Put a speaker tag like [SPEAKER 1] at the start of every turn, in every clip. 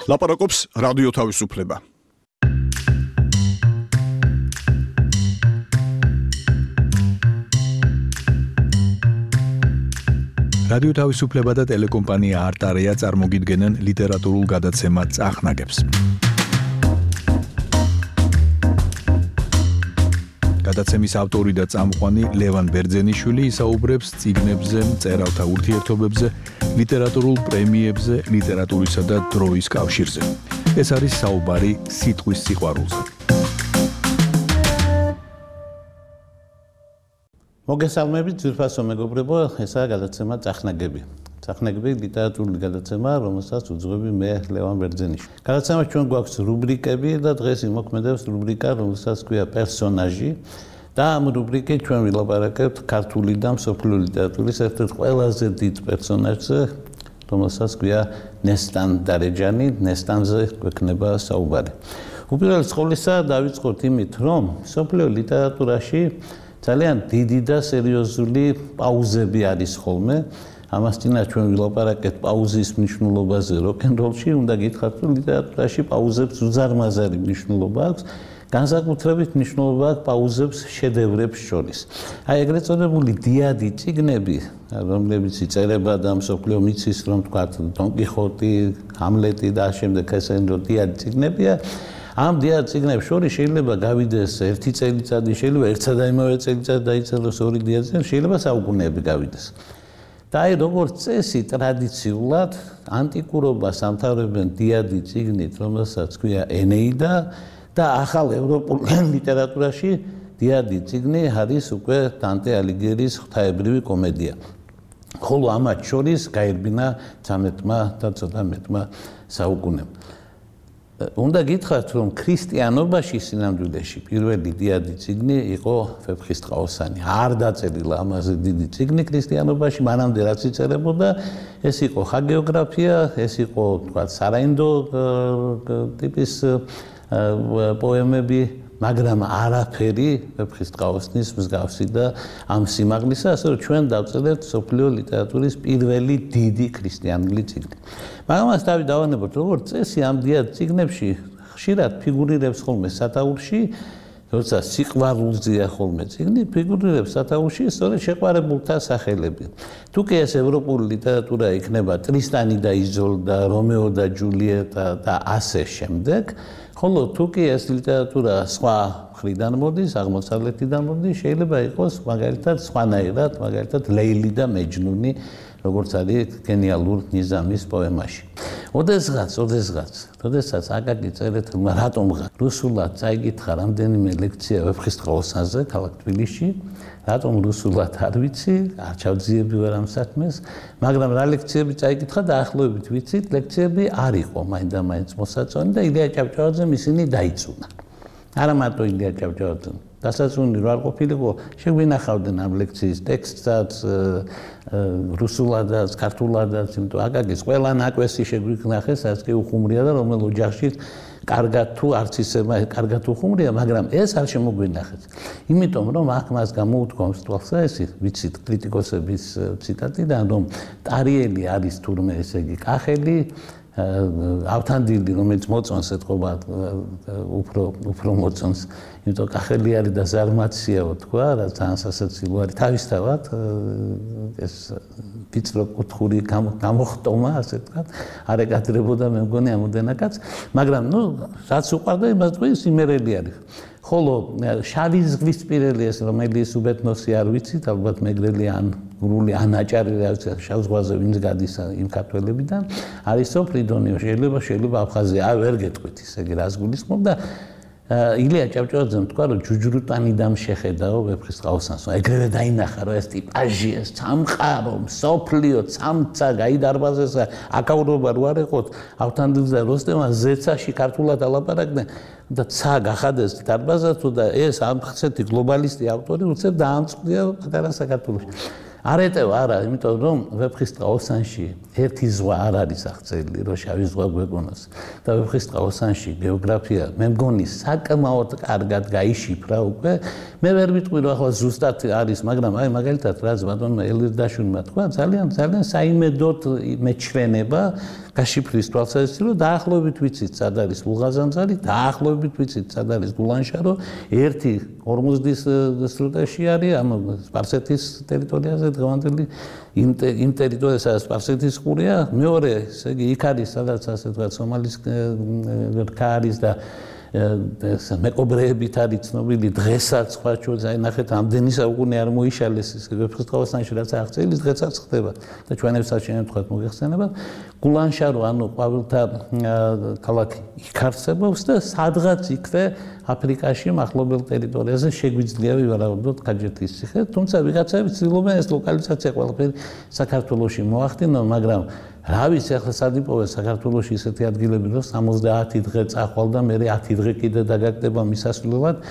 [SPEAKER 1] ლაპარაკობს რადიო თავისუფლება. რადიო თავისუფლება და ტელეკომპანია არტარია წარმოგიდგენენ ლიტერატურულ გადაცემად წახნაგებს. გადაცემის ავტორი და წამყვანი ლევან ბერძენიშვილი ისაუბრებს წიგნებზე, მწერალთა ურთიერთობებზე, ლიტერატურულ პრემიებზე, ლიტერატურისა და დროის კავშირზე. ეს არის საუბარი სიტყვის სიყვარულზე.
[SPEAKER 2] მოგესალმებით, ძვირფასო მეგობრებო, ესაა გადაცემა წახნაგები. წახნაგები ლიტერატურული გადაცემა, რომელსაც უძღვები მე ლევან ბერძენიშვილი. გადაცემაში ჩვენ გვაქვს რუბრიკები და დღეს იმოქმედებს რუბრიკა, რომელსაც ქვია პერსონაჟი. და ამ რუბრიკით ჩვენ ვილაპარაკებთ ქართული და მსოფლიო ლიტერატურის ერთ-ერთ ყველაზე დიდ პერსონაჟზე, რომელსაც ქვია ნესტან დარეჯანი. ნესტანზე გვექნება საუბარი. უპირველეს ყოვლისა დავიწყოთ იმით, რომ მსოფლიო ლიტერატურაში ძალიან დიდი და სერიოზული პაუზები არის ხოლმე. ამას წინაშე ჩვენ ვილაპარაკეთ პაუზის მნიშვნელობაზე როკ-ენ-როლში, უნდა გითხრათ, რომ ლიტერატურაში პაუზებს უზარმაზარი მნიშვნელობა აქვს. განსაკუთრებით მნიშვნელობა აქვს პაუზებს შედევრებს შორის. აი ეგრეთ წოდებული დიადი წიგნები, რომლებიც იწერება და მსოფლიო მიცის, რომ თქვათ დონ კიხოტი, ჰამლეტი და შემდეგ ესენი რომ დიადი წიგნებია. ამ დიად წიგნებს შორის შეიძლება გავიდეს ერთი წელიწადი, შეიძლება ერთსა და იმავე წელიწად დაიწეროს ორი დიადი წიგნი, შეიძლება საუკუნეები გავიდეს. და აი როგორც წესი ტრადიციულად ანტიკურობას ამთავრებენ დიადი წიგნით, რომელსაც ქვია ენეიდა და ახალ ევროპულ ლიტერატურაში დიადი წიგნი არის უკვე დანტე ალიგიერის ღვთაებრივი კომედია. ხოლო ამათ შორის გაერბინა 13-მა და ცოტა მეტმა საუკუნემ. უნდა გითხრათ, რომ ქრისტიანობაში სინამდვილეში პირველი დიადი წიგნი იყო ვეფხისტყაოსანი. არ დაწერილა ამაზე დიდი წიგნი ქრისტიანობაში, მანამდე რაც იწერებოდა, ეს იყო ჰაგეოგრაფია, ეს იყო თქვა სარაინდო ტიპის პოემები, მაგრამ არაფერი ვეფხისტყაოსნის მსგავსი და ამ სიმაღლისა, ასე რომ ჩვენ დავწერეთ მსოფლიო ლიტერატურის პირველი დიდი ქრისტიანული წიგნი. მაგრამ მას დავანებოთ, როგორც წესი ამ დიად წიგნებში ხშირად ფიგურირებს ხოლმე სათაურში, როცა სიყვარულზეა ხოლმე წიგნი, ფიგურირებს სათაურში სწორედ შეყვარებულთა სახელები. თუ კი ეს ევროპული ლიტერატურა იქნება ტრისტანი და იზოლდა, რომეო და ჯულიეტა და ასე შემდეგ, ხოლო თუ კი ეს ლიტერატურა სხვა მხრიდან მოდის, აღმოსავლეთიდან მოდის, შეიძლება იყოს მაგალითად სხვანაირად, მაგალითად ლეილი და მეჯნუნი, როგორც არის გენიალურ ნიზამის პოემაში. ოდესღაც აკაკი წერეთელმა რატომღა რუსულად წაიკითხა რამდენიმე ლექცია ვეფხისტყაოსანზე ქალაქ თბილისში, რატომ რუსულად არ ვიცი, არ ჩავძიები ვარ ამ საქმეს, მაგრამ რა ლექციები წაიკითხა და ახლობებით ვიცით, ლექციები არ იყო მაინდა-მაინც მოსაწონი და ილია ჭავჭავაძემ ისინი დაიწუნა. არა მარტო ილია ჭავჭავაძემ, დასაწუნი რო არ ყოფილიყო, შეგვინახავდნენ ამ ლექციის ტექსტსაც, რუსულადაც, ქართულადაც, იმიტომ აკაკის ყველა ნაკვესი შეგვინახეს, რაც კი უხუმრია და რომელ ოჯახში კარგად თუ არც ისე კარგად უხუმრია, მაგრამ ეს არ შემოგვინახეს. იმიტომ რომ აქ მას გამოუთქვამს თვალსა ესე, ვიცით კრიტიკოსების ციტატიდან, რომ ტარიელი არის თურმე ესე იგი კახელი, ავთანდილი, რომელიც მოწონს ეთყობა უფრო მოწონს, იმიტომ კახელი არის და ზარმაციაო თქვა, რა ძალიან სასაცილო არის. თავისთავად ეს ვიწრო კუთხური გამოხტომა, ასე ვთქვათ, არ ეკადრებოდა მე მგონი ამოდენა კაცს, მაგრამ რაც უყვარდა იმას თქვი სიმერელი არის. ხოლო შავი ზღვისპირელი ეს რომელიც უბედნოსი არ ვიცით, ალბათ მეგრელი ან გრული ან აჭარი რა ვიცი, შავ ზღვაზე ვინც გადის იმ ქართველებიდან, არისო ფრიდონიო, შეიძლება აფხაზია, ვერ გეტყვით ისე იგი რას გულისხმობ და ილია ჭავჭავაძემ თქვა, რომ ჯუჯრუტანიდამ შეხედაო ვეფხისტყაოსანს. ეგრევე დაინახა, რომ ეს ტიპაჟი, ეს სამყარო, მსოფლიო, სამცა გაიდარბაზესა, აკავრობა რო არ ეყოთ, ავთანდილს და როსტევანს ზეცაში ქართულად ალაპარაკდნენ და ცა გახადეს დარბაზათო და ეს ამ ხსეთი გლობალისტი ავტორი უცებ დაამწყდია პატარა საქართველოში. არეტევა არა, იმიტომ რომ ვეფხისტყაოსანში ერთი ზღვა არ არის აღწერილი, რომ შავი ზღვა გვეგონოს. და ვეფხისტყაოსანში გეოგრაფია მე მგონი საკმაოდ კარგად გაიშიფრა უკვე. მე ვერ ვიტყვი რომ ახლა ზუსტად არის, მაგრამ აი მაგალითად რაც ბატონმა ელირდაშვილმა თქვა, ძალიან საიმედოდ მეჩვენება გაშიფრის თვალსაზრისით, რომ დაახლოებით ვიცით, სად არის ლუღაზანძარი, დაახლოებით ვიცით, სად არის გულანშარო, ერთი ორმუზდის სრუტეში არის, ამ სპარსეთის ტერიტორიაზე დღევანდელი იმ ტერიტორიაზე, სადაც სპარსეთის ყურია, მეორე, ესე იგი, იქ არის, სადაც ასე ვთქვათ, სომალის რქა არის და მეკობრეებით არის ცნობილი დღესაც სხვა ჩვენს აი ნახეთ ამდენი საუკუნე არ მოიშალეს ის ვეფხისტყაოსანში რაც აღწერილი დღესაც ხდება და ჩვენებსაც შემთხვევით მოიხსენება გულანშარო ანუ ყვავილთა ქალაქი იქ არსებობს და სადღაც იქნე აფრიკაში მახლობელ ტერიტორიაზე შეგვიძლია ვივარაუდოთ გაჯეთის ციხე თუმცა ვიღაცები ცდილობენ ეს ლოკალიზაცია ყველაფერი საქართველოში მოახდინონ მაგრამ რა ვიცი ახლა სადიპოვე საქართველოში ისეთი ადგილები რომ 70 დღე წახვალ და მე 10 დღე კიდე დაგაგდება მისასვლელად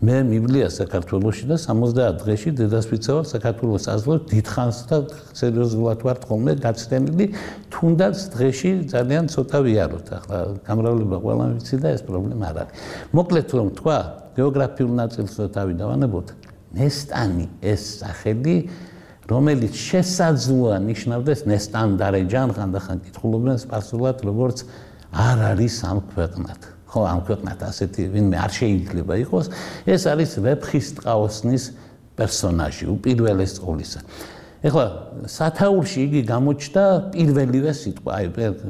[SPEAKER 2] მე მივლია საქართველოში და 70 დღეში დედასვიცავად საქართველოს აზრով დიდხანს და სერიოზულად ვარ ხოლმე გაცდენილი თუნდაც დღეში ძალიან ცოტა ვიაროთ ახლა გამრავლება ყველა ვიცი და ეს პრობლემა არ არის მოკლედ რომ თქვა გეოგრაფიულ ნაწილს რო თავი დავანებოთ ნესტანი ეს სახელი რომელიც შესაძლოა ნიშნავდეს ნესტანდარეჯან ხანდახან კითხულობენ სპარსულად როგორც არ არის ამ ქვეყნად ხო ამ ქვეყნად ასეთი ვინმე არ შეიძლება იყოს ეს არის ვეფხისტყაოსნის პერსონაჟი უპირველეს ყოვლისა ეხლა სათაურში იგი გამოჩნდა პირველივე სიტყვა აი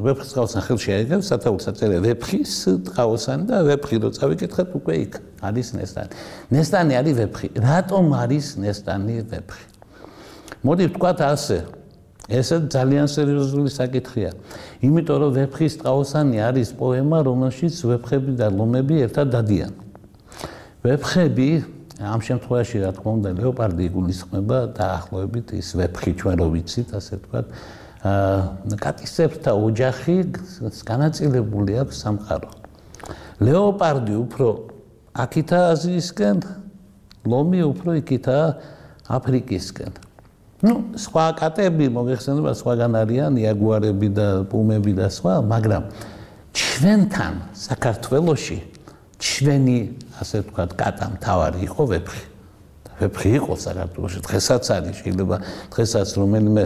[SPEAKER 2] ვეფხისტყაოსან ხელში აიღებს სათაურს აწერია ვეფხისტყაოსანი და ვეფხი რო წავიკითხეთ უკვე იქ არის ნესტანი ნესტანი არის ვეფხი რატომ არის ნესტანი ვეფხი მოდი ვთქვათ ასე ესე ძალიან სერიოზული საკითხია იმიტომ რომ ვეფხისტყაოსანი არის პოემა რომელშიც ვეფხები და ლომები ერთად დადიან ვეფხები ამ შემთხვევაში რა თქმა უნდა ლეოპარდი იგულისხმება დაახლოებით ის ვეფხი ჩვენ რო ვიცით ასე ვთქვათ კატისებრთა ოჯახი განაწილებული აქვს სამყარო ლეოპარდი უფრო აქითა აზიისკენ ლომი უფრო იქითაა აფრიკისკენ ну სხვა კატები მოგეხსენება სხვაგან არიან იაგუარები და პუმები და სხვა მაგრამ ჩვენთან საქართველოში ჩვენი ასე ვთქვათ კატა მთავარი იყო ვეფხი ვეფხი იყო საქართველოში დღესაც არის შეიძლება დღესაც რომელიმე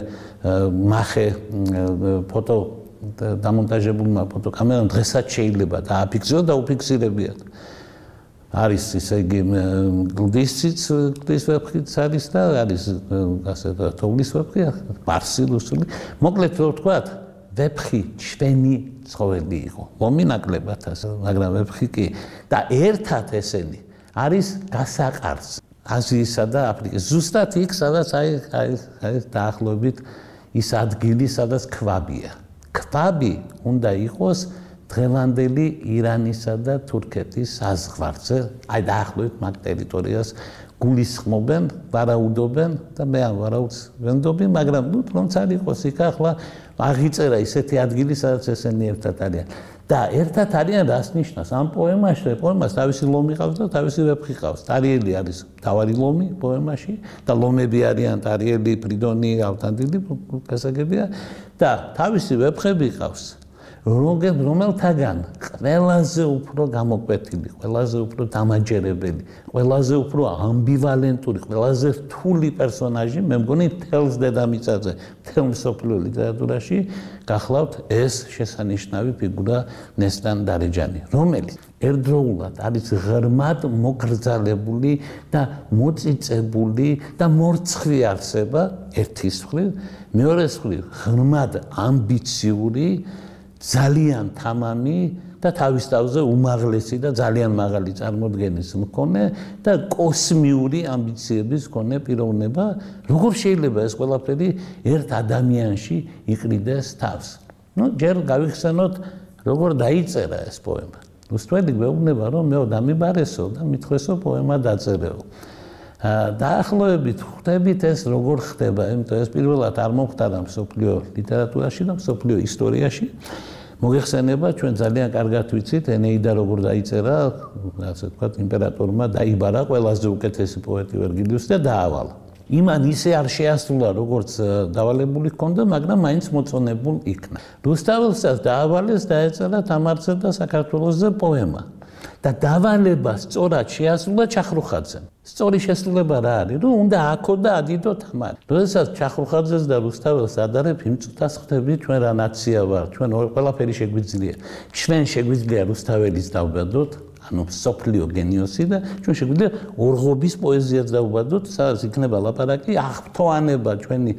[SPEAKER 2] მახე ფოტო დამონტაჟებულმა ფოტოკამერამ დღესაც შეიძლება დააფიქსიროს და უფიქსირებიათ არის ისე იგი გლდის ვეფხიც არის და არის ასე თოვლის ვეფხი პარსი რუსული მოკლედ რო ვთქვათ ვეფხი ჩვენი ცხოველი იყო ლომი ნაკლებად ასე მაგრამ ვეფხი კი და ერთად ესენი არის გასაყარს აზიისა და აფრიკის ზუსტად იქ სადაც აი დაახლოებით ის ადგილი სადაც ქვაბია ქვაბი უნდა იყოს დღევანდელი ირანისა და თურქეთის საზღვარზე, აი დაახლოებით მაგ ტერიტორიას გულისხმობენ, ვარაუდობენ და მე ამ ვარაუდს ვენდობი, მაგრამ ნუ რომც არ იყოს იქ ახლა აღიწერა ისეთი ადგილი, სადაც ესენი ერთად არიან. და ერთად არიან რას ნიშნავს? ამ პოემაში, პოემას თავისი ლომი ყავს და თავისი ვეფხი ყავს. ტარიელი არის თავარი ლომი პოემაში და ლომები არიან ტარიელი, ფრიდონი, ავთანდილი, გასაგებია და თავისი ვეფხები ყავს. რომელთაგან ყველაზე უფრო გამოკვეთილი, ყველაზე უფრო დამაჯერებელი, ყველაზე უფრო ამბივალენტური, ყველაზე რთული პერსონაჟი, მე მგონი მთელს დედამიწაზე, მთელ მსოფლიო ლიტერატურაში გახლავთ ეს შესანიშნავი ფიგურა ნესტან-დარეჯანი, რომელიც ერთდროულად არის ღრმად მოგრძალებული და მოწიწებული და მორცხვი არსება ერთის მხრივ, მეორეს მხრივ ღრმად ამბიციური ძალიან თამამი და თავის თავზე უმაღლესი და ძალიან მაღალი წარმოდგენის მქონე და კოსმიური ამბიციების მქონე პიროვნება, როგორ შეიძლება ეს ყველაფერი ერთ ადამიანში იყრიდეს თავს. ნუ ჯერ გავიხსენოთ, როგორ დაიწერა ეს პოემა. რუსთველი გვეუბნება, რომ მეო დამიბარესო და მithქვესო პოემა დაწერეო. დაახლოებით ხვდებით ეს როგორ ხდება, იმიტომ ეს პირველად არ მომხდარა მსოფლიო ლიტერატურაში და მსოფლიო ისტორიაში. მოგეხსენება, ჩვენ ძალიან კარგად ვიცით, ენეიდა როგორ დაიწერა, ასე ვთქვათ, იმპერატორმა დაიბარა ყველაზე უკეთესი პოეტი ვერგილიუსი და დაავალა. იმან ისე არ შეასრულა, როგორც დავალებული ჰქონდა, მაგრამ მაინც მოწონებულ იქნა. რუსთაველსაც დაავალეს დაეწერა თამარზე და საქართველოსზე პოემა. და დავალება სწორად შეასრულა ჩახრუხაძემ. სწორი შესრულება რა არის, რომ უნდა აქო და ადიდო თამარი. როდესაც ჩახრუხაძეს და რუსთაველს ადარებ, იმ წუთას ხდები ჩვენ რა ნაცია ვარ, ჩვენ ყველაფერი შეგვიძლია. ჩვენ შეგვიძლია რუსთაველის დავბადოთ, ანუ სოფლიო გენიოსი და ჩვენ შეგვიძლია ორღობის პოეზიაც დავბადოთ, სადაც იქნება ლაპარაკი აღფრთოვანება ჩვენი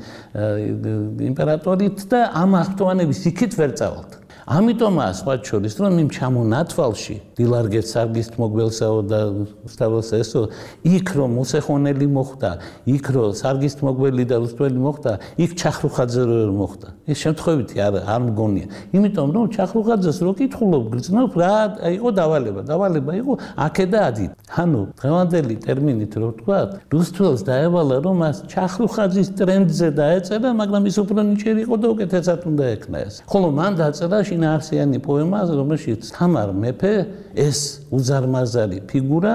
[SPEAKER 2] იმპერატორით და ამ აღფრთოვანების იქით ვერ წავალთ. ამიტომაა სხვა შორის რომ იმ ჩამონათვალში დილარგეთ სარგის მოგველსაო და რუსთაველს ესო იქ რომ მოსეხონელი მოხდა, იქ რომ სარგის მოგველი და რუსთაველი მოხდა, იქ ჩახრუხაძე ვერ მოხდა. ეს შემთხვევითი არ მგონია. იმიტომ რომ ჩახრუხაძეს რო კითხულობ გრძნობ რა იყო დავალება იყო აქე და ადით. ანუ დღევანდელი ტერმინით რო ვთქვა, რუსთაველს დაევალა რომ მას ჩახრუხაძის ტრენდზე დაეწერა, მაგრამ ის უფრო ნიჭიერი იყო და უკეთესად უნდა ექნა ეს. ხოლო მან დაწერა შინაარსიანი პოემა, რომელშიც თამარ მეფე ეს უზარმაზარი ფიგურა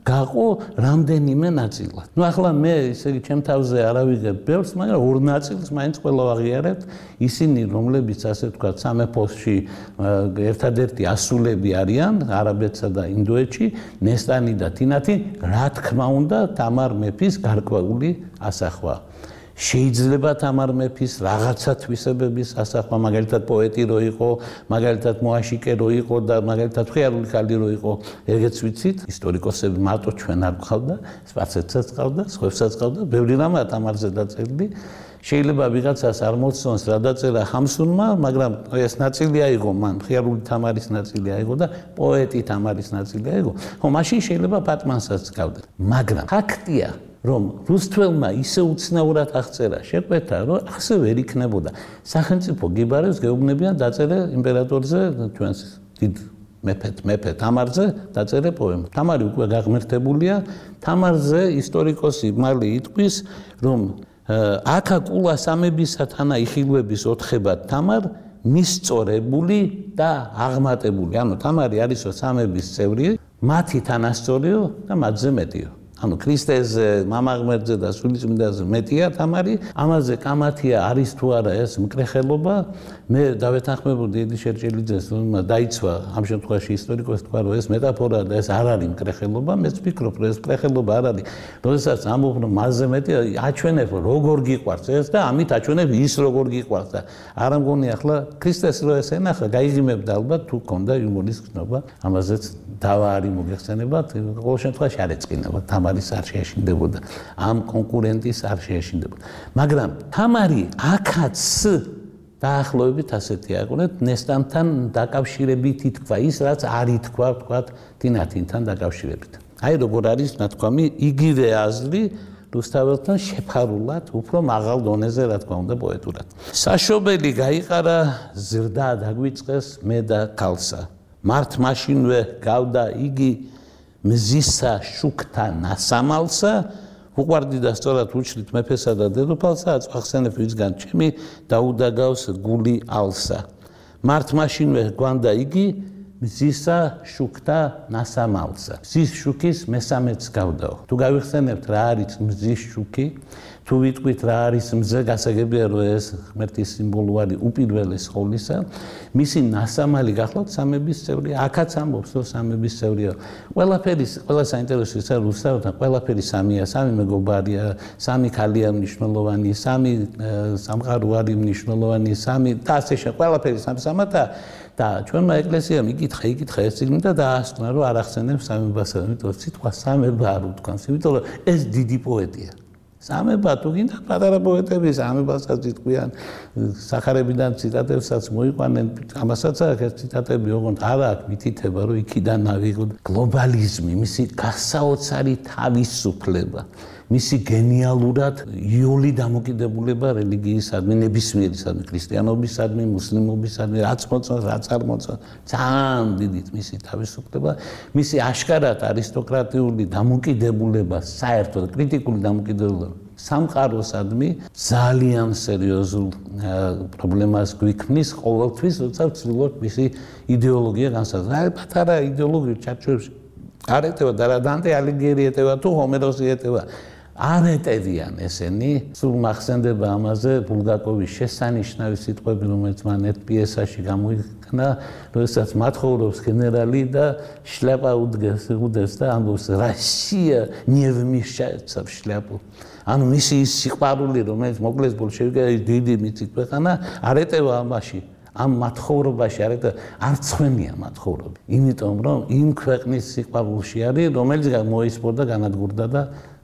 [SPEAKER 2] გაყო რამდენიმე ნაწილად. ნუ ახლა მე ისე იგი ჩემ თავზე არ ავიღებ ბევრს, მაგრამ ორ ნაწილს მაინც ყველა ვაღიარებთ, ისინი რომლებიც ასე ვთქვათ სამეფოში ერთადერთი ასულები არიან არაბეთსა და ინდოეთში, ნესტანი და თინათი, რა თქმა უნდა თამარ მეფის გარკვეული ასახვა. შეიძლება თამარ მეფის რაღაცა თვისებების ასახვა, მაგალითად პოეტი რო იყო, მაგალითად მოაშიკე რო იყო და მაგალითად ხიარული ხალი რო იყო, ეგეც ვიცით, ისტორიკოსები მარტო ჩვენ არ გყავდა, სპარსეთსაც ყავდა, სხვებსაც ყავდა, ბევრი რამაა თამარზე დაწერილი. შეიძლება ვიღაცას არ მოსწონს რა დაწერა ხამსუნმა, მაგრამ ეს ნაწილი აიღო მან, ხიარული თამარის ნაწილი აიღო და პოეტი თამარის ნაწილი აიღო. ხო, მაშინ შეიძლება პატმანსაც გყავდა. მაგრამ ფაქტია რომ რუსთაველმა ისე უცნაურად აღწერა შეკვეთა, რომ ასე ვერ იქნებოდა. სახელმწიფო გიბარებს გეუბნებიან დაწერე იმპერატორზე, ჩვენს დიდ მეფე თამარზე დაწერე პოემა. თამარი უკვე გაღმერთებულია, თამარზე ისტორიკოსი მალე იტყვის, რომ აქა კულა სამებისა თანა იხილვების ოთხებად თამარ მისწორებული და აღმატებული. ანუ თამარი არისო სამების წევრი, მათი თანასწორიო და მათზე მეტიო. ანუ ქრისტეზე, მამაღმერთზე და სულიწმინდაზე მეტია თამარი, ამაზე კამათია არის თუ არა ეს მკრეხელობა. მე დავეთანხმებოდი еді შერჭელიძეს, რომ დაიცვა ამ შემთხვევაში ისტორიკოსი თქვა, რომ ეს მეტაფორაა და ეს არ არის მკრეხელობა, მეც ვფიქრობ, რომ ეს მკრეხელობა არ არის. როდესაც ამბობ, რომ მასზე მეტია, აჩვენებ როგორ გიყვარს ეს და ამით აჩვენებ ის როგორ გიყვარს და არ მგონი ახლა ქრისტეს რო ეს ენახა, გაიგიმებდა ალბათ თუ ქონდა იუმორის გზნობა, ამაზეც დავა არის მოგეხსენებათ, ყოველ შემთხვევაში არ ეწყინება, თამარის არ შეეშინდებოდა, ამ კონკურენტის არ შეეშინდებოდა. მაგრამ თამარი აქაც დაახლოებით ასეთი აყურეთ, ნესტანთან დაკავშირებით ითქვა ის, რაც არ ითქვა, ვთქვათ, თინათინთან დაკავშირებით. აი როგორ არის ნათქვამი, იგივე აზრი რუსთაველთან შეფარულად, უფრო მაღალ დონეზე, რა თქმა უნდა, პოეტურად. საშობელი გაიყარა, ზრდა დაგვიწყეს მე და ქალსა. მართ მაშინვე გავდა იგი მზისა შუქთა ნასამალსა, უყვარდი და სწორად უჩრით მეფესა და დედოფალსა, აწვახსენებ ვისგან ჩემი დაუდაგავს გული ალსა. მართ მაშინვე გვანდა იგი მზისა შუქთა ნასამალსა. მზის შუქის მესამეც გავდაო. თუ გავიხსენებთ რა არის მზის შუქი, თუ ვიტყვით რა არის მზე, გასაგებია რომ ეს ღმერთის სიმბოლო არის უპირველეს ყოვლისა, მისი ნასამალი გახლავთ სამების წევრი, აქაც ამბობს რომ სამების წევრია. ყველა საინტერესო ის არის რუსთაველთან, ყველაფერი სამია, სამი მეგობარია, სამი ქალია მნიშვნელოვანი, სამი სამყარო არის მნიშვნელოვანი, სამი და ასე შემდეგ, ყველაფერი სამსამათა და ჩვენმა ეკლესიამ იკითხა ეს წიგნი და დაასკვნა რომ არ ახსენებს სამებასა, იმიტომ სიტყვა სამება არ უთქვამს, იმიტომ რომ ეს დიდი პოეტია. სამება თუ გინდა პატარა პოეტები სამებასაც იტყვიან, სახარებიდან ციტატებსაც მოიყვანენ, ამასაც აქვს ეს ციტატები, ოღონდ არ აქვს მითითება, რომ იქიდან ავიღოთ გლობალიზმი, მისი გასაოცარი თავისუფლება, მისი გენიალურად იოლი დამოკიდებულება რელიგიისადმი, ნებისმიერისადმი, ქრისტიანობისადმი, მუსლიმობისადმი, რაც მოწონს, რაც არ მოწონს, ძალიან დიდი მისი თავისუფლება, მისი აშკარად არისტოკრატიული დამოკიდებულება, საერთოდ კრიტიკული დამოკიდებულება სამყაროსადმი ძალიან სერიოზულ პრობლემას გვიქმნის ყოველთვის, როცა ვცდილობთ მისი იდეოლოგია განსაზღვრა. პატარა იდეოლოგია ჩარჩოებში არ ეტევა და რა დანტე ალიგიერი ეტევა თუ ჰომეროსი ეტევა. არ ეტევიან ესენი, სულ მახსენდება ამაზე ბულგაკოვის შესანიშნავი სიტყვები, რომელიც მან ერთ პიესაში გამოიქმნა, როდესაც მათხოვრობს გენერალი და შლაპა უდევს და ამბობს Россия не вмешается в шляпу. ანუ მისი სიყვარული, რომელიც მოკლეს ბოლშევიკები დიდი მიწით ქვეყანა, არ ეტევა ამაში. ამ მათხოვრობაში არ ცხვენია მათხოვრები. იმიტომ რომ იმ ქვეყნის სიყვარულში არის, რომელიც მოისპორდა, განადგურდა და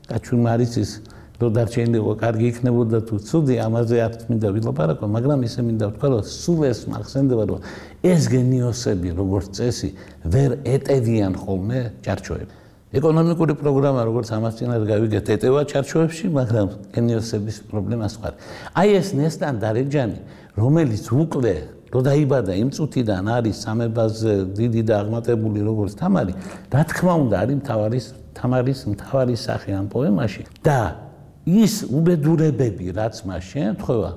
[SPEAKER 2] გაჩვენარიცის რომ დარჩენილიყო კარგი იქნებოდა თუ ცუდი, ამაზე არ მინდა ვილაპარაკო, მაგრამ ისე მინდა ვთქვა, რომ სულ ეს მახსენდება, რომ ეს გენიოსები, როგორც წესი, ვერ ეტევიან ხოლმე ჩარჩოებს. ეკონომიკური პროგრამა, როგორც ამას წინათ გავიგეთ, ეტევა ჩარჩოებში, მაგრამ გენიოსების პრობლემა სხვა. აი ეს ნესტან დარეჯანი, რომელიც უკლე რო დაიბადა იმ წუთიდან არის სამებაზე დიდი და აღმატებული როგორც თამარი, რა თქმა უნდა არის თამარის მთავარი სახე ამ პოემაში და ის უბედურებები, რაც მას შეემთხვევა,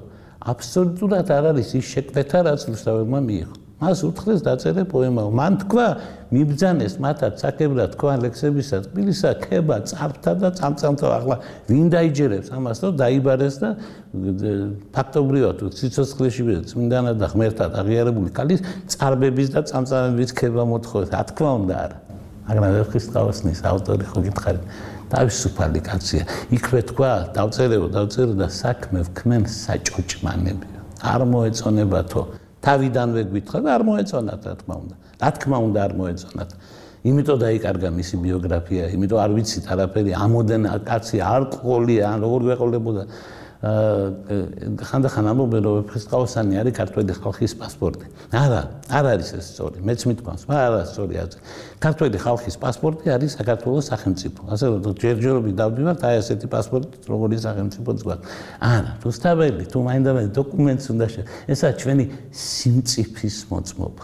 [SPEAKER 2] აბსოლუტურად არ არის ის შეკვეთა, რაც რუსთავებმა მიიღო. მას უთხრეს დაწერე პოემა. მან თქვა, მიბრძანეს მათაც საკებრად თქვა ლექსებისა, თბილისა, ქება, წარფთა და წამწამთა. ახლა ვინ დაიჯერებს ამას, რომ დაიბარეს და ფაქტობრივად სიცოცხლეში წმინდანად და ღმერთად აღიარებული ქალის წარბების და წამწამების ქება მოთხოვეს. რა თქმა უნდა არა. მაგრამ ვერხისტყაოსნის ავტორი ხო გითხარით, თავისუფალი კაცია. იქვე თქვა, დავწერო და საქმე ვქმენ საჭოჭმანები. არ მოეწონებათო. თავიდანვე გვითხრა და არ მოეწონათ, რა თქმა უნდა. რა თქმა უნდა არ მოეწონათ. იმიტომ დაიკარგა მისი ბიოგრაფია, იმიტომ არ ვიცით არაფერი, ამოდენ კაცი არ ყოლია, ან როგორ გვეყოლებოდა. ხანდახან ამბობენ, რომ ვეფხისტყაოსანი არის ქართველი ხალხის პასპორტი. არა, არ არის ეს სწორი. მეც მithქვამს, არა სწორი არის. ქართველი ხალხის პასპორტი არის საქართველოს სახელმწიფო. ასე რომ ჯერჯერობით დავდივართ, აი ესეთი პასპორტი, როგორი სახელმწიფოც გვაქვს. არა, რუსთაველი, თუ მაინდამაინც დოკუმენტს უნდა ესაა ჩვენი სიმწიფის მოწმობა.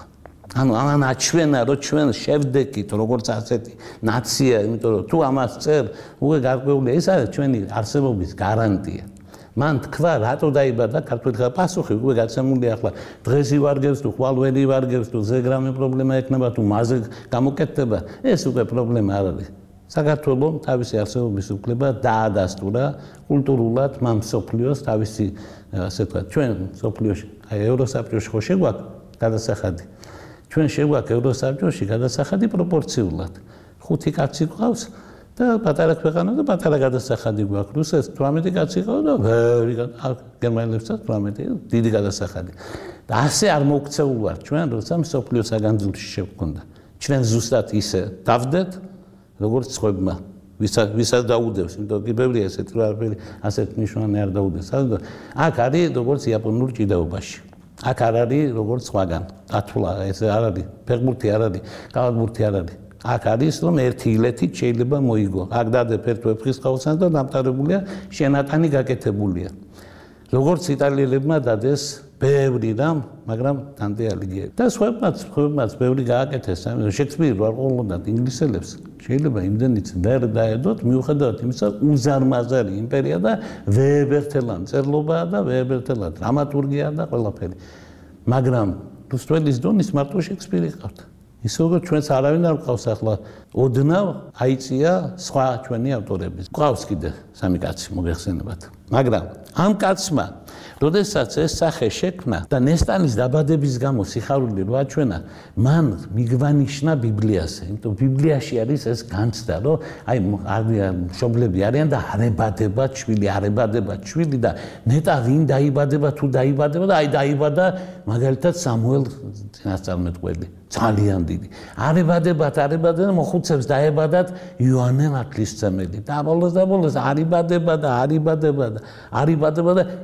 [SPEAKER 2] ანუ ამან აჩვენა, რომ ჩვენ შევდექით როგორც ასეთი ნაცია, იმიტომ რომ თუ ამას წერ, უკვე გარკვეულია, ეს არის ჩვენი არსებობის გარანტია. მან თქვა, რატო დაიბადა ქართველი ხალხი? პასუხი უკვე გაცემულია ახლა. დღეს ივარგებს თუ ხვალ ვერ ივარგებს თუ ზეგრამი პრობლემა ექნება თუ მასზე გამოკეთდება, ეს უკვე პრობლემა არ არის. საქართველოს თავისი არსებობის უფლება დაადასტურა კულტურულად მან მსოფლიოს თავისი ასე ვთქვათ, ჩვენ მსოფლიოში, აი ევროსაბჭოში ხო შეგვაქვს გადასახადი. ჩვენ შეგვაქვს ევროსაბჭოში გადასახადი პროპორციულად. 5 კაცი გვყავს და პატარა ქვეყანა და პატარა გადასახადი გვაქვს. რუსეთს 18 კაცი ყავს და ვერი გერმანელებსაც 18 დიდი გადასახადი. და ასე არ მოქცეულ ვართ ჩვენ, როცა მსოფლიო საგანძურში შევქონდა. ჩვენ ზუსტად ისე დავდეთ, როგორც სხვებმა. ვისაც დაუდევს, იმიტომ რომ ბევრია ესეთი რაფერი, ასეთ ნიშნავენ არ დაუდეს. აქ არის როგორც იაპონურ ჭიდაობაში. აქ არ არის როგორც სხვაგან. ათვლა ეს არ არის, ფეხბურთი არ არის, კალათბურთი არ არის. აქ არის რომ ერთი ილეთით შეიძლება მოიგო. აქ დადებ ერთ ვეფხისტყაოსანს და დამტარებულია შენატანი გაკეთებულია. როგორც იტალიელებმა დადეს ბევრი რამ, მაგრამ დანტე ალიგიერი. და სხვებმაც ბევრი გააკეთეს. შექსპირი არ ყოლოდათ ინგლისელებს. შეიძლება იმდენიც ვერ დაედოთ, მიუხედავად იმისა, უზარმაზარი იმპერია და ვეებერთელა მწერლობაა და ვეებერთელა დრამატურგია და ყველაფერი. მაგრამ რუსთაველის დონის მარტო შექსპირი ყავდა. ისე როგორც ჩვენს არავინ არ ყავს ახლა ოდნავ აიწია სხვა ჩვენი ავტორები. ყავს კიდე 3 კაცი მოგეხსენებათ. მაგრამ ამ კაცმა როდესაც ეს სახე შექმნა და ნესტანის დაბადების გამო სიხარული რო აჩვენა, მან მიგვანიშნა ბიბლიაზე. იმიტომ ბიბლიაში არის ეს განცდა, რომ აი მშობლები არიან და არებადებათ შვილი და ნეტა ვინ დაიბადება თუ დაიბადება და აი დაიბადა მაგალითად სამუელ წინასწარმეტყველი. ძალიან დიდი. არებადებათ და მოხუცებს დაებადათ იოანე ნათლისმცემელი. და ბოლოს არიბადება და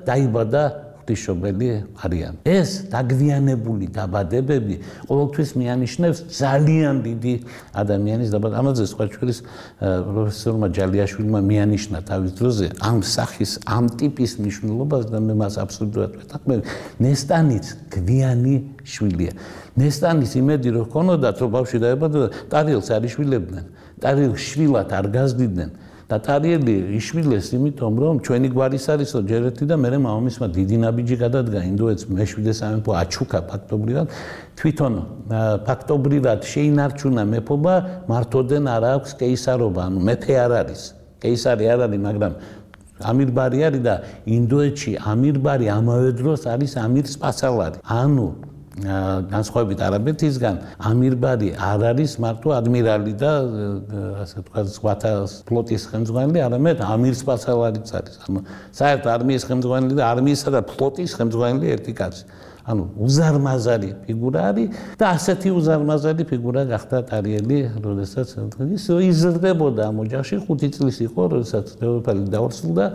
[SPEAKER 2] დაიბადა ღვთისმშობელი არიან. ეს დაგვიანებული დაბადებები ყოველთვის მიანიშნებს ძალიან დიდი ადამიანის დაბადება. ამაზე სხვა ჩვენის პროფესორმა ჯალიაშვილმა მიანიშნა თავის დროზე ამ სახის, ამ ტიპის მნიშვნელობას და მე მას აბსოლუტურად ვეთანხმები. ნესტანიც გვიანი შვილია. ნესტანის იმედი რო ჰქონოდათ, რომ ბავშვი დაებადა, ტარიელს არ იშვილებდნენ. ტარიელს შვილად არ გაზდიდნენ. და ტარიელი იშვილეს იმიტომ, რომ ჩვენი გვარის არისო ჯერ ერთი და მერე მამამისმა დიდი ნაბიჯი გადადგა ინდოეთს მეშვიდე სამეფო აჩუქა ფაქტობრივად. თვითონ ფაქტობრივად შეინარჩუნა მეფობა, მართოდენ არ აქვს კეისარობა, ანუ მეფე არ არის. კეისარი არ არის, მაგრამ ამირბარი არის და ინდოეთში ამირბარი ამავე დროს არის ამირ სპასალარი. ანუ განსხვავებით არაბეთისგან ამირბარი არ არის მარტო ადმირალი და ასე ვთქვათ ზღვათა ფლოტის ხელმძღვანელი, არამედ ამირ სპასალარიც არის. ანუ საერთოდ არმიის ხელმძღვანელი და არმიისა და ფლოტის ხელმძღვანელი ერთი კაცი. ანუ უზარმაზარი ფიგურა არის და ასეთი უზარმაზარი ფიგურა გახდა ტარიელი, როდესაც ის იზრდებოდა ამ ოჯახში 5 წლის იყო, როდესაც დედოფალი დაორსულდა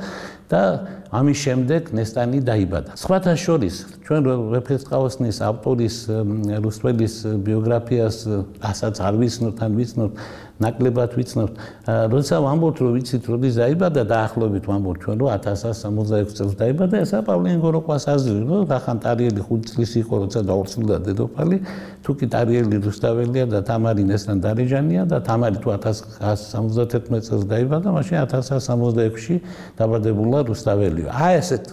[SPEAKER 2] და ამის შემდეგ ნესტანი დაიბადა. სხვათა შორის ჩვენ რეფერსტყაოსნის ავტორის რუსველის ბიოგრაფიას ასაც არ ვიცნობთ, ან ვიცნობთ ნაკლებად ვიცნობთ. როცა ვამბობთ, რომ ვიცით, როდის დაიბადა, დაახლოებით ვამბობთ ჩვენ, რომ 1166 წელს დაიბადა, ესა პავლინ გოროკვას აზრი, რომ რახან ტარიელი 5 წლის იყო, როცა დაორსულდა დედოფალი, თუ კი ტარიელი რუსთაველია და თამარი ნესტან დარეჯანია და თამარი თუ 1171 წელს დაიბადა, მაშინ 1166-ში დაბადებულა რუსთაველიო. აი ესეთ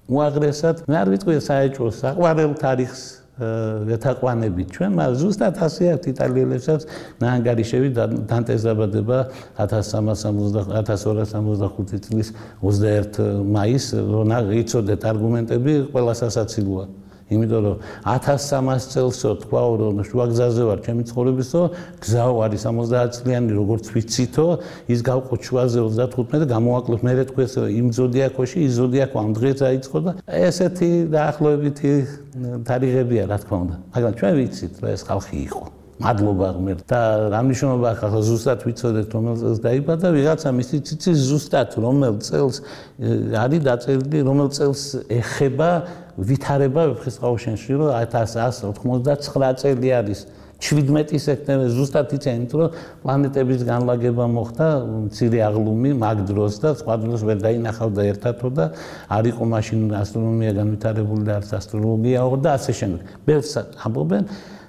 [SPEAKER 2] უაღრესად, მე არ ვიტყვი საეჭვო საყვარელ თარიღს ეთაყვანებით ჩვენ, მაგრამ ზუსტად ასე აქვს იტალიელებსაც ნაანგარიშები დანტეს დაბადება 1265 წლის 21 მაისს, რომ იცოდეთ არგუმენტები ყველა სასაცილოა. იმიტომ რომ 1300 წელსო თქვაო, რომ შუაგზაზე ვარ ჩემი ცხოვრებისო, გზაო არის 70 წლიანი, როგორც ვიცითო, ის გავყო შუაზე 35 და გამოვაკლებ მე თქვეს იმ ზოდიაქოში, ის ზოდიაქო ამ დღეს დაიწყო და ესეთი დაახლოებითი თარიღებია, რა თქმა უნდა. მაგრამ ჩვენ ვიცით, რომ ეს ხალხი იყო. მადლობა ღმერთ და რა მნიშვნელობა აქვს ახლა ზუსტად ვიცოდეთ რომელ წელს დაიბადა, ვიღაცა მისი ციცი ზუსტად რომელ წელს არის დაწერილი, რომელ წელს ეხება ვითარება ვეფხისტყაოსანში, რომ 1189 წელი არის 17 სექტემბერი ზუსტად იციან, იმიტომ რომ პლანეტების განლაგება მოხდა მცირე აღლუმი მაგ დროს და სხვა დროს ვერ დაინახავდა ერთადო და არ იყო მაშინ ასტრონომია განვითარებული და არც ასტროლოგიაო და ასე შემდეგ. ბევრს ამბობენ,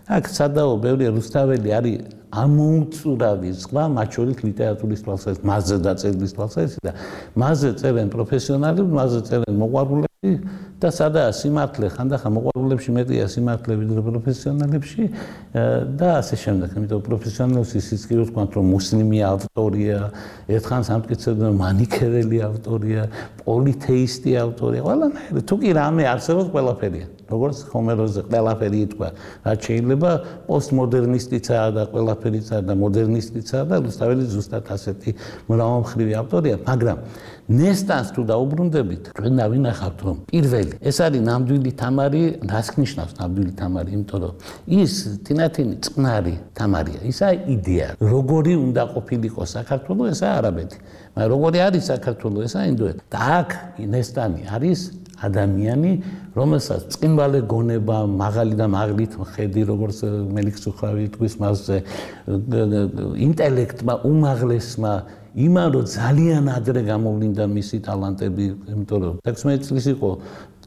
[SPEAKER 2] აქ სადაო ბევრი რუსთაველი არის ამოუწურავი ზღვა, მათ შორის ლიტერატურის თვალსაზრისით, მასზე დაწერილი თვალსაზრისით და მასზე წერენ პროფესიონალები, მასზე წერენ მოყვარულები და სადაა სიმართლე, ხანდახან მოყვარულებში მეტია სიმართლე ვიდრე პროფესიონალებში და ასე შემდეგ. იმიტომ პროფესიონალებს ისიც კი ვთქვათ, რომ მუსლიმი ავტორია, ერთხან სამტკიცებდნენ მანიქეველი ავტორია, პოლითეისტი ავტორია, ყველანაირი. თუ კი რამე არსებობს, ყველაფერია. როგორც ჰომეროზე ყველაფერი ითქვა, რაც შეიძლება პოსტმოდერნისტიცაა და ყველაფერიცაა და მოდერნისტიცაა და რუსთაველი ზუსტად ასეთი მრავალმხრივი ავტორია, მაგრამ ნესტანს თუ დაუბრუნდებით, ჩვენ დავინახავთ, რომ პირველი ეს არის ნამდვილი თამარი, რას ნიშნავს ნამდვილი თამარი, იმიტომ რომ ის თინათინი წყნარი თამარია, ისა იდეა, როგორი უნდა ყოფილიყო საქართველო, ესა არაბეთი, მაგრამ როგორი არის საქართველო, ესა ინდოეთი. და აქ ნესტანი არის ადამიანი, რომელსაც წინვალე გონება, მაღალი და მაღლით ხედი, როგორც მელიქსუხავი თქვის მასზე, ინტელექტმა, უმაღლესმა, იმან რომ ძალიან ადრე გამოვლინდა მისი ტალანტები, იმიტომ რომ 16 წლის იყო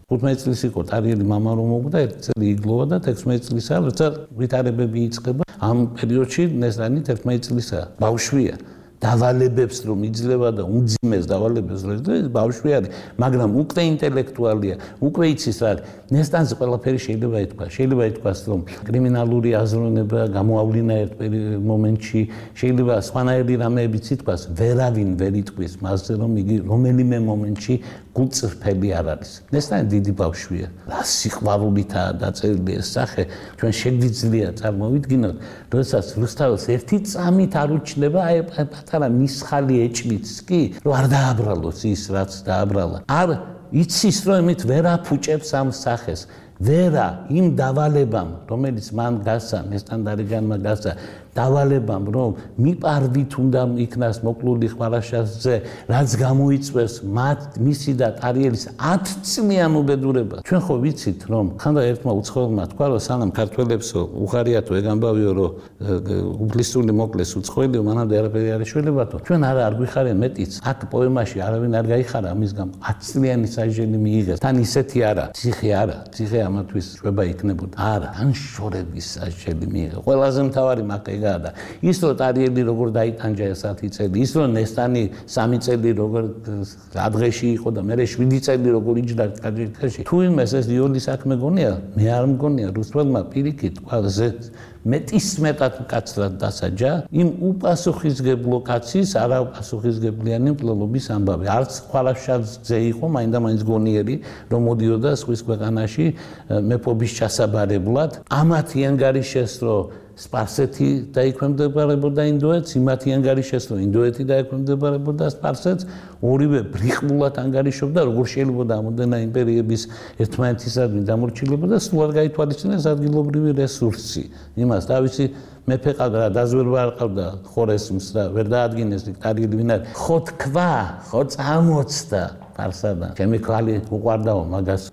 [SPEAKER 2] 15 წლის იყო ტარიელი მამა რომ მოკვდა, 1 წელი იგლოვა და 16 წლისა, როცა ვითარებები იწყება, ამ პერიოდში ნესტანი 11 წლისაა, ბავშვია. დავალებებს რომ იძლევა და უმძიმეს დავალებებს რომ იძლევა, ბავშვი არის, მაგრამ უკვე ინტელექტუალია, უკვე იცის რა. ნესტანზე ყველაფერი შეიძლება ითქვა. შეიძლება ითქვას, რომ კრიმინალური აზროვნება გამოავლინა ერთ მომენტში, შეიძლება სხვანაირი რამეებიც ითქვას, ვერავინ ვერ იტყვის მასზე, რომ იგი რომელიმე მომენტში გულწრფელი არ არის. ნესტანი დიდი ბავშვია. რა სიყვარულითაა დაწერილი ეს სახე, ჩვენ შეგვიძლია წარმოვიდგინოთ, როდესაც რუსთაველს ერთი წამით არ უჩნდება, აი პატარა მისხალი ეჭვიც კი, რომ არ დააბრალოს ის, რაც დააბრალა. არ იცის, რომ იმით ვერ აფუჭებს ამ სახეს. ვერა იმ დავალებამ, რომელიც მან გასცა, ნესტან დარეჯანმა გასცა, დავალებამ, რომ მიპარვით უნდა იქნას მოკლული ხმარაშასზე, რაც გამოიწვევს მისი და ტარიელის 10 წლიან უბედურება. ჩვენ ხო ვიცით, რომ ხანდა ერთმა უცხოელმა თქვა, რომ სანამ ქართველებსო უხარიათო ეგ ამბავიო, რომ უფლისწული მოკლეს უცხოელიო, მანამდე არაფერი არ ეშველებათო. ჩვენ არ გვიხარენ მეტიც. აქ პოემაში არავინ არ გაიხარა ამის გამო. 10 წლიანი საჟენი მიიღეს. თან ისეთი არა, ციხე არა, ციხე ამათვის შვება იქნებოდა. არა, ან შორების საჟენი მიიღეს. ყველაზე მთავარი მაგ და ის რომ ტარიელი როგორ დაიტანჯა 10 წელი, ის რომ ნესტანი 3 წელი როგორ ადღეში იყო და მერე 7 წელი როგორ იჯდა კაჯიკაში. თუ იმეს ეს იოლის საქმე გონია, მე არ მგონია რუსველმა პირიქით ყველაზე მეტისმეტად მკაცრად დასაჯა იმ უპასუხისმგებლო კაცის არაპასუხისმგებლიანი მკვლელობის ამბავი. არც ხვალაშაძე იყო მაინდა-მაინც გონიერი, რომ მოდიოდა სხვის ქვეყანაში მეფობის ჩასაბარებლად. ამათი ანგარიშეს, რომ სპარსეთი დაიქვემდებარებოდა ინდოეთს, იმათი ანგარიშეს, რომ ინდოეთი დაიქვემდებარებოდა სპარსეთს, ორივე ბრიხმულად ანგარიშობდა, როგორ შეიძლება ამოდენა იმპერიების ერთმანეთისადმი დამორჩილება და სულად გაითვალისწინეს ადგილობრივი რესურსი. იმას თავისი მეფე ყავდა, დაზვერვა არ ყავდა ხორესმს და ვერ დაადგინეს დიქტარიელი ვინარ. ხო თქვა, ხო წამოწდა ფარსადან. ჩემი ქალი უყვარდაო მაგას.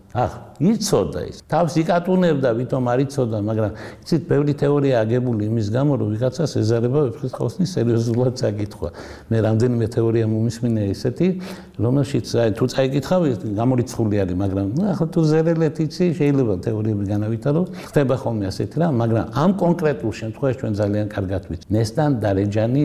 [SPEAKER 2] იცოდა ის. თავს იკატუნებდა, ვითომ არ იცოდა, მაგრამ იცით, ბევრი თეორია აგებული იმის გამო, რომ ვიღაცას ეზარება ვეფხისტყაოსნის სერიოზულად საკითხვა. მე რამდენიმე თეორია მომისმინე ესეთი, რომელშიც თუ წაიკითხავ, გამორიცხული არის, მაგრამ ახლა თუ ზერელეთ იცი, შეიძლება თეორიები განავითარო, ხდება ხოლმე ასეთი რამ, მაგრამ ამ კონკრეტულ შემთხვევაში ჩვენ ძალიან კარგად ვიცით. ნესტან დარეჯანი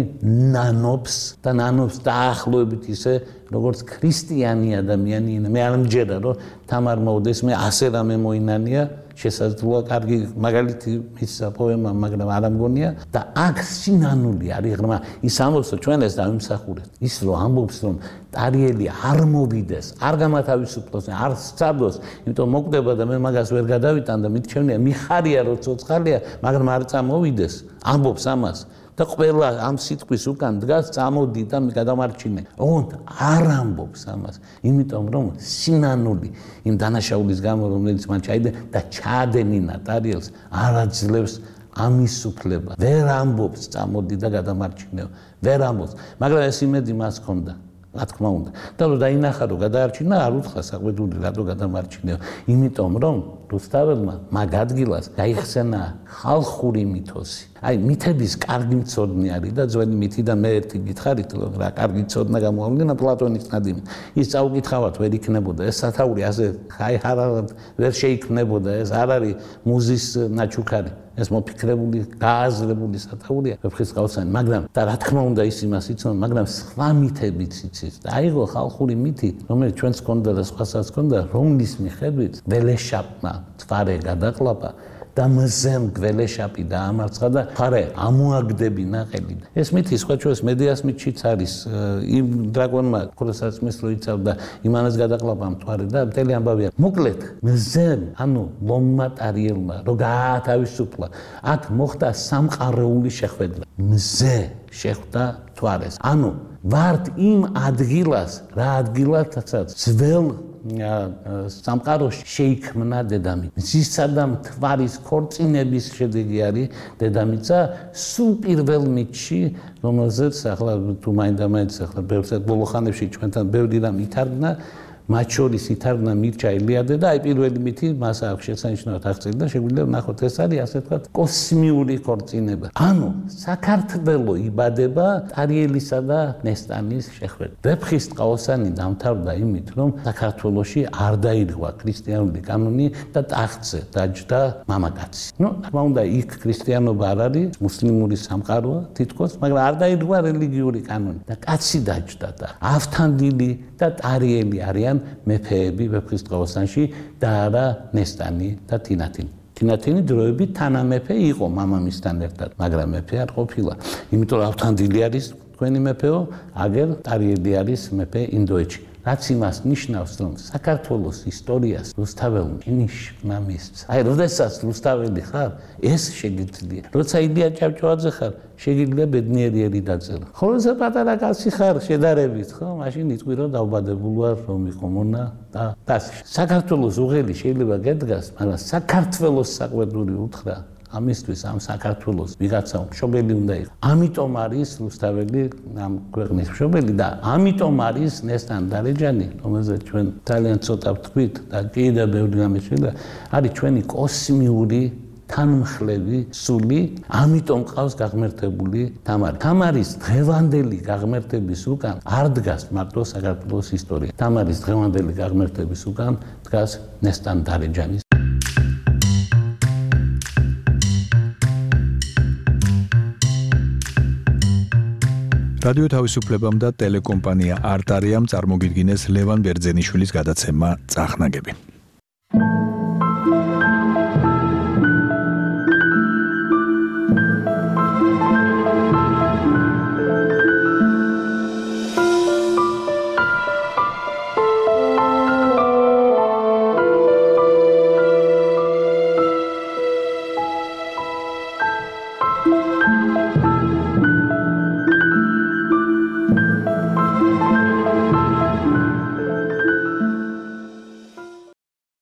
[SPEAKER 2] ნანობს და ნანობს დაახლოებით ისე, როგორც ქრისტიანი ადამიანი, მე არ მჯერა, რომ თამარ მოუდეს მე ასე რამე მოინანია, შესაძლოა კარგი მაგალითი მისცა პოემა, მაგრამ არ ამგონია და აქ სინანული არის ღრმა. ის ამბობს, რომ ჩვენ ეს დავიმსახურეთ. ის რომ ამბობს, რომ ტარიელი არ მოვიდეს, არ გამათავისუფლოს, არ სწადოს, იმიტომ მოკვდება და მე მაგას ვერ გადავიტან და მითჩევნია, მიხარია რომ ცოცხალია, მაგრამ არ წამოვიდეს, ამბობს ამას. და ყველა ამ სიტყვის უკან დგას წამოდი და გადამარჩინე. ოღონდ არ ამბობს ამას, იმიტომ რომ სინანული იმ დანაშაულის გამო, რომელიც მან ჩაიდე და ჩაადენინა ტარიელს, არ აძლევს ამის უფლება. ვერ ამბობს წამოდი და გადამარჩინეო. ვერ ამბობს, მაგრამ ეს იმედი მას ჰქონდა. რა თქმა უნდა. და რომ დაინახა რომ გადაარჩინა, არ უთხრა საყვედური რატო გადამარჩინეო. იმიტომ რომ რუსთაველმა მაგ ადგილას გაიხსენა ხალხური მითოსი. აი მითების კარგი მცოდნე არის და ძველი მითიდან მე ერთი გითხარით რომ რა კარგი მცოდნა გამოავლინა პლატონის ნადიმი. ის წაუკითხავად ვერ იქნებოდა ეს სათაური ასე ხაიჰარად ვერ შეიქმნებოდა ეს არ არის მუზის ნაჩუქარი. ეს მოფიქრებული, გააზრებული სათაურია ვეფხისტყაოსანი, მაგრამ და რა თქმა უნდა ის იმას იცნობს, მაგრამ სხვა მითებიც იცის. და აიღო ხალხური მითი, რომელიც ჩვენს ჰქონდა და სხვასაც ჰქონდა, რომლის მიხედვით ველეშაპმა თვარე გადაყლაპა და მზემ გველეშაპი დაამარცხა და ხარე ამოაგდები ნაყელი. ეს მითი სხვა ჩვენს მედიას მითშიც არის. იმ დრაკონმა ქორასაცმის რო იცავდა, იმანას გადაყლაპა მთვარე და მთელი ამბავია. მოკლედ, მზემ, ანუ ლომმა ტარიელმა რო გაათავისუფლა, აქ მოხდა სამყაროული შეხვედრა. მზე შეხვდა მთვარეს. ანუ ვართ იმ ადგილას, რა ადგილათაც ძველ სამყაროში შეიქმნა დედამიწა. მზისა და მთვარის ქორწინების შედეგი არის დედამიწა სულ პირველ მითში, რომელზეც ახლა თუ მაინდა-მაინც ახლა ბოლო ხანებში ჩვენთან ბევრი რამ ითარგმნა, მათ შორის ითარგმნა მირჩა ილიადე და აი პირველი მითი მას აქვს შესანიშნავად აღწერილი და შეგვიძლია ვნახოთ ეს არის ასე ვთქვათ კოსმიური ქორწინება. ანუ საქართველო იბადება ტარიელისა და ნესტანის შეხვედრით. ვეფხისტყაოსანი დამთავრდა იმით, რომ საქართველოში არ დაირღვა ქრისტიანული კანონი და ტახტზე დაჯდა მამაკაცი. თქმა უნდა იქ ქრისტიანობა არ არის, მუსლიმური სამყაროა თითქოს, მაგრამ არ დაირღვა რელიგიური კანონი და კაცი დაჯდა და ავთანდილი და ტარიელი არიან მეფეები ვეფხისტყაოსანში და არა ნესტანი და თინათინი. თინათინი დროებით თანამეფე იყო მამამისთან ერთად, მაგრამ მეფე არ ყოფილა. იმიტომ რომ ავთანდილი არის თქვენი მეფეო, აგერ ტარიელი არის მეფე ინდოეთში. რაც იმას ნიშნავს, რომ საქართველოს ისტორიას რუსთაველმა ინიშნა მისცა. აი, როდესაც რუსთაველი ხარ, ეს შეგიძლია. როცა ილია ჭავჭავაძე ხარ, შეგიძლია ბედნიერი დაწერა. ხოლო როცა პატარა კაცი ხარ, შედარებით, ხო? მაშინ იტყვი რომ დავბადებული ვარ, რომ იყო მონა და ასე. საქართველოს უღელი შეიძლება გედგას, მაგრამ საქართველოს საყვედური უთხრა. ამისთვის ამ საქართველოს ვიღაცა მშობელი უნდა იყოს. ამიტომ არის რუსთაველი ამ ქვეყნის მშობელი და ამიტომ არის ნესტან დარეჯანი, რომელზეც ჩვენ ძალიან ცოტა ვთქვით და კიდევ ბევრი რამე შეიძლება, არის ჩვენი კოსმიური თანმხლები სული, ამიტომ ყავს გაღმერთებული თამარი. თამარის დღევანდელი გაღმერთების უკან არ დგას მარტო საქართველოს ისტორია. თამარის დღევანდელი გაღმერთების უკან დგას ნესტან დარეჯანის
[SPEAKER 1] რადიო თავისუფლებამ და ტელეკომპანია არტარიამ წარმოგიდგინეს ლევან ბერძენიშვილის გადაცემა წახნაგები.